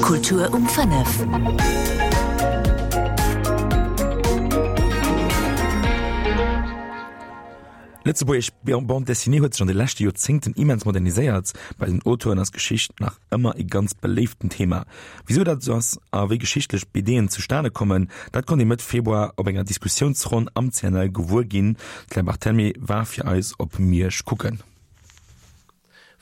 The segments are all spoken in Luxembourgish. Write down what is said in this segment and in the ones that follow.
Kultur um 5. Lëtzebuergesch Bande Dessinée huet sech an de leschte Joerzéngten immens moderniséiert. Bei den Auteuren ass Geschicht nach ëmmer e ganz beléiften Thema. Wisou dat esou ass a wéi geschichtlech BDen zustane kommen, dat konnt ee Mëtt Februar op enger Diskussiounsronn am CNL gewuer ginn. D'Claire Barthelmy war fir eis op Miersch kucken.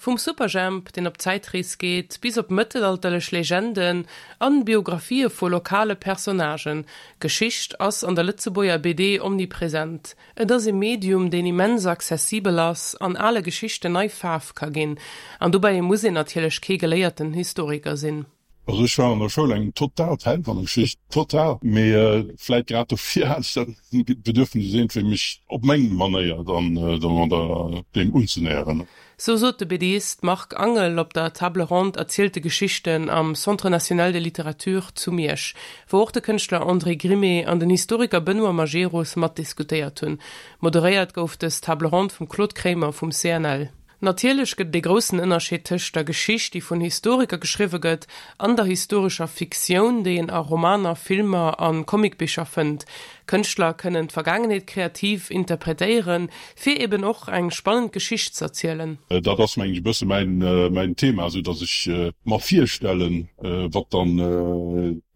Vum Superjhemp, deen op Zäitrees geet, bis op mëttelalterlech Legenden an Biographië vu lokale Personnagen, Geschicht ass an der Lëtzebuerger BD omnipresent. Et ass e Medium, deen immens accessibel ass an ale Geschichten nei Faarf ka ginn. An dobäi muss een natierlech kee geléierten Historiker sinn. Also ech war an der Schoul eng total Fan vun der Geschicht, total, mee vläit grad dofir hat ech dat Bedürfnis iergendwéi mech op meng Manéier dann domadder deem unzenäheren. Sou sot de BDist Marc Angel op der Table ronde Erzielte Geschichten am Centre national de littérature zu Miersch, wou och de Kënschtler André Grimée an den Historiker Benoît Majerus matdiskutéiert hunn. Moderéiert gouf dës Table ronde vum Claude Kremer vum CNL. Natierlech gëtt et ee groussen Ënnerscheed tëscht der Geschicht, déi vun Historiker geschriwwe gëtt, an der historescher Fiktioun, déi een a Romaner, Filmer a Comicbicher fënnt. Kënschtler kënnen d'Vergaangenheet kreativ interpretéieren, fir eben och eng spannend Geschicht z'erzielen. Dat ass, mengen ech, e bësse mäin Thema, esou datt ech mer virstellen, wat dann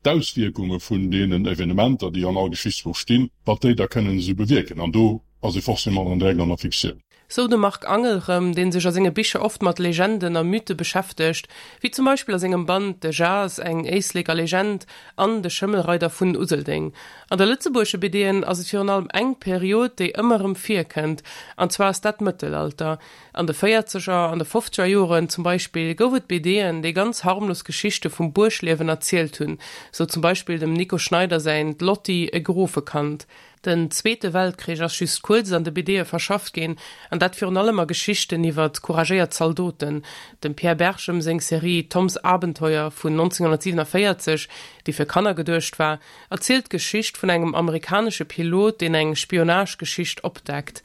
d'Auswierkunge vun deenen Evenementer, déi an all Geschichtsbuch stinn, wat déi da kënnen esou bewierken. An do ass ee forcément dann direkt an der Fiktioun. Sou de Marc Angel rëm, dee sech a senge Bicher oft mat Legenden a Mythe beschäftegt, wéi zum Beispill a sengem Band De Jas, eng Éisleker Legend an De Schëmmelreider vun Useldeng. An der lëtzebuergesche BDen ass et virun allem eng Period, déi ëmmer erëm virkënnt, an zwar ass dat d'Mëttelalter. An de Véierzeger an de Fofzeger Joren zum Beispill gouf et BDen, déi ganz harmlos Geschichte vum Buergliewen erzielt hunn, sou zum Beispill dem Nico Schneider säin D'Lotty, e Grofekand. Den Zweete Weltkrich ass just kuerz an de BDe verschafft ginn, an dat virun allem a Geschichten iwwer couragéiert Zaldoten. Dem Pierre Berchem seng Serie Toms Abenteuer vun 1947, déi fir Kanner geduecht war, erzielt d'Geschicht vun engem amerikanesche Pilot, deen eng Spionagegeschicht opdeckt.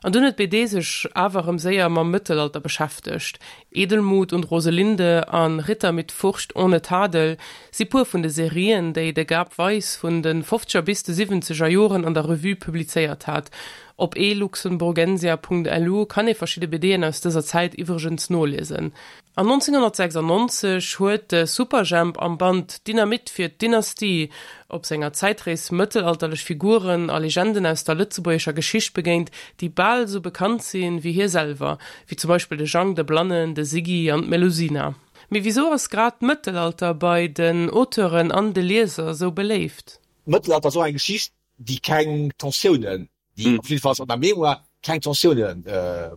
An dunn huet d'BD sech awer erëm séier mam Mëttelalter beschäftegt. Edelmut und Roselinde an Ritter mit Furcht ohne Tadel si puer vun de Serien, déi de Gab Weis vun de fofzeger bis de siwwenzeger Joren an der Revue publizéiert hat. Op eluxemburgensia.lu kann ee verschidde BDen aus dëser Zäit iwwregens noliesen. An 1996 huet de Superjhemp am Band Dynamit fir d'Dynastie op senger Zäitrees mëttelalterlech Figuren a Legenden aus der lëtzebuergescher Geschicht begéint, déi bal esou bekannt si wéi hie selwer, wéi zum Beispill de Jang de Blannen, de Siggy an d'Melusina. Mee wisou ass grad d'Mëttelalter bei den Auteuren an de Lieser esou beléift? D'Mëttelalter ass och eng Geschicht, déi keng Tensiounen déi op jiddefalls an der Mémoire keng Tensioune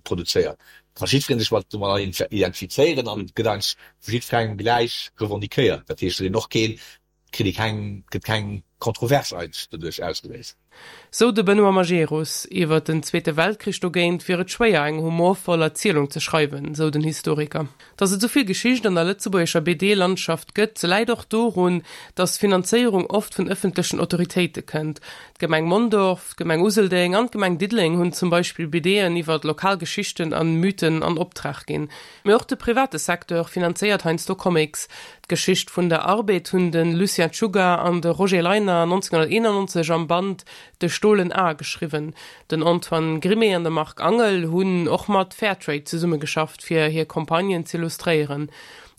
produzéiert. Ka jiddweree sech mat domadder identifizéieren an et gëtt eigentlech vu jiddwerengem gläich revendiquéiert. Dat heescht, et huet een och keen, kritt ee keng, gëtt keng Kontrovers eigentlech doduerch ausgeléist. Sou de Benoît Majerus. Iwwer den Zweete Weltkrich dogéint wier et schwéier, eng humorvoll Erzielung ze schreiwen, sou den Historiker. Datt et esou vill Geschicht an der lëtzebuergescher BD-Landschaft gëtt, läit och dorun, datt d'Finanzéierung oft vun ëffentlechen Autoritéite kënnt. D'Gemeng Mondorf, d'Gemeng Useldeng an d'Gemeng Diddeleng hunn zum Beispill BDen iwwer lokal Geschichten an Mythen an Optrag ginn. Mee och de private Secteur finanzéiert heiansdo Comics. D'Geschicht vun der Arbed hunn de Lucien Czuga an de Roger Leiner 1991 am Band De Stolen A geschriwwen. Den Antoine Grimée an de Marc Angel hunn och mat Fairtrade zesummegeschafft, fir hir Campagnen z'illustréieren.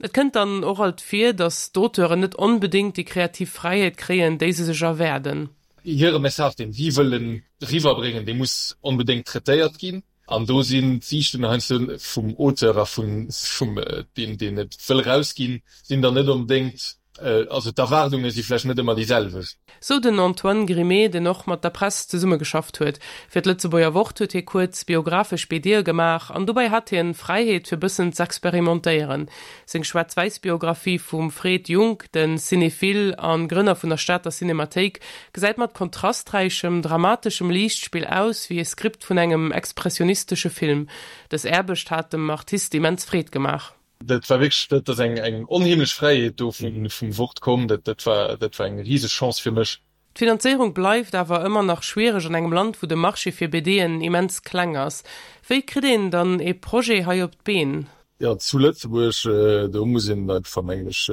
Et kënnt dann och alt vir, datt d'Auteuren net onbedéngt déi kreativ Fräiheet kréien, déi se sech erwaarden. Hire Message, deen si wëllen eriwwerbréngen, dee muss onbedéngt traitéiert ginn. An do sinn d'Siichten heiansdo vum Auteur a vum deem, deen et wëll erausginn, sinn dann net onbedéngt, also d'Erwaardunge si vläicht net ëmmer déi selwecht. Sou den Antoine Grimée, deen och mat der Press zesummegeschafft huet. Fir d'Lëtzebuerger Wort huet hie kuerz biographesch BDe gemaach an dobäi hat hien Fräiheet fir bëssen z'experimentéieren. Seng Schwaarz-Wäiss-Biographie vum Fred Junck, de Cinephile a Grënner vun der Stater Cinemathéik, gesäit mat kontrasträichem, dramateschem Liichtspill aus wéi e Skript vun engem expressionistesche Film. Dës Aarbecht hat dem Artist immens Freed gemaach. Dat war wierklech, dat ass eng onheemlech Fräiheet do vum Wort komm. Dat war, dat war eng riseg Chance fir mech. D'Finanzéierung bleift awer ëmmer nach schwiereg an engem Land, wou de Marché fir BDen immens kleng ass. Wéi kritt een dann ee Projet hei op d'Been? Jo, zu Lëtzebuerg, do muss een einfach, mengen ech,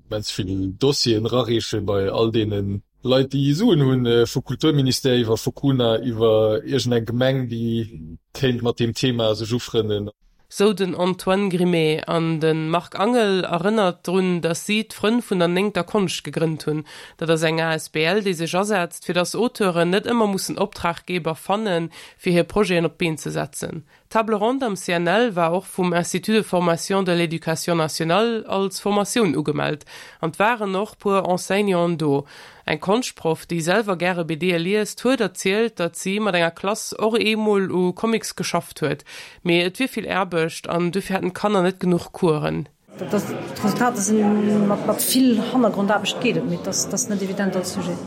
Immens vill Dossieren erareeche bei all deene Leit, déi Suen hunn, vu Kulturministère iwwer Focuna, iwwer iergendeng Gemeng, déi kéint mat deem Thema sech ufrënnen. Sou den Antoine Grimée. An de Marc Angel erënnert drun, datt si d'Frënn vun der néngter Konscht gegrënnt hunn. Dat ass eng asbl, déi sech asetzt, fir datt Auteuren net ëmmer mussen Optraggeber fannen, fir hir Projeten op d'Been ze setzen. D'Table ronde am CNL war och vum Institut de formation de l'éducation nationale als Formatioun ugemellt an 't waren och puer Enseignanten do. Eng Konschtproff, déi selwer gäre BDe liest, huet erzielt, datt si mat enger Klass och eemol u Comics geschafft huet, mee et wier vill Aarbecht an dofir hätten d'Kanner net genuch Coursen. D'Resultater sinn, mat vill Hannergrondaarbecht geet et, mee et ass net evident als Sujet.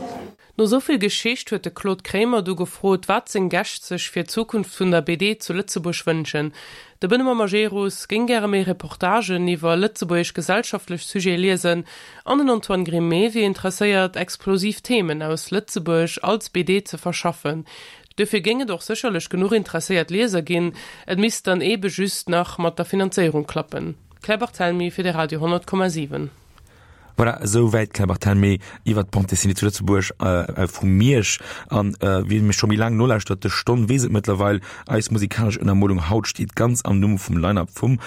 No esou vill Geschicht huet de Claude Kremer du gefrot, wat seng Gäscht sech fir d'Zukunft vun der BD zu Lëtzebuerg wënschen. De Benoît Majerus géing gäre méi Reportagen iwwer lëtzebuergesch gesellschaftlech Sujete liesen an den Antoine Grimé wier interesséiert, explosiv Themen aus Lëtzebuerg als BD ze verschaffen. Duerfir géing et och sécherlech genuch interesséiert Lieser ginn, et misst dann eebe just nach mat der Finanzéierung klappen. Claire Barthelmy fir de Radio 100,7. Voilà, esou wäit d'Claire Barthelmy iwwer d'Bande dessinée zu Lëtzebuerg vu Miersch. An wie mech scho méi laang nolauschtert, de Stonn weess et mëttlerweil, eis musikalesch Ënnermolung haut steet ganz am Numm vum Line-Up vum.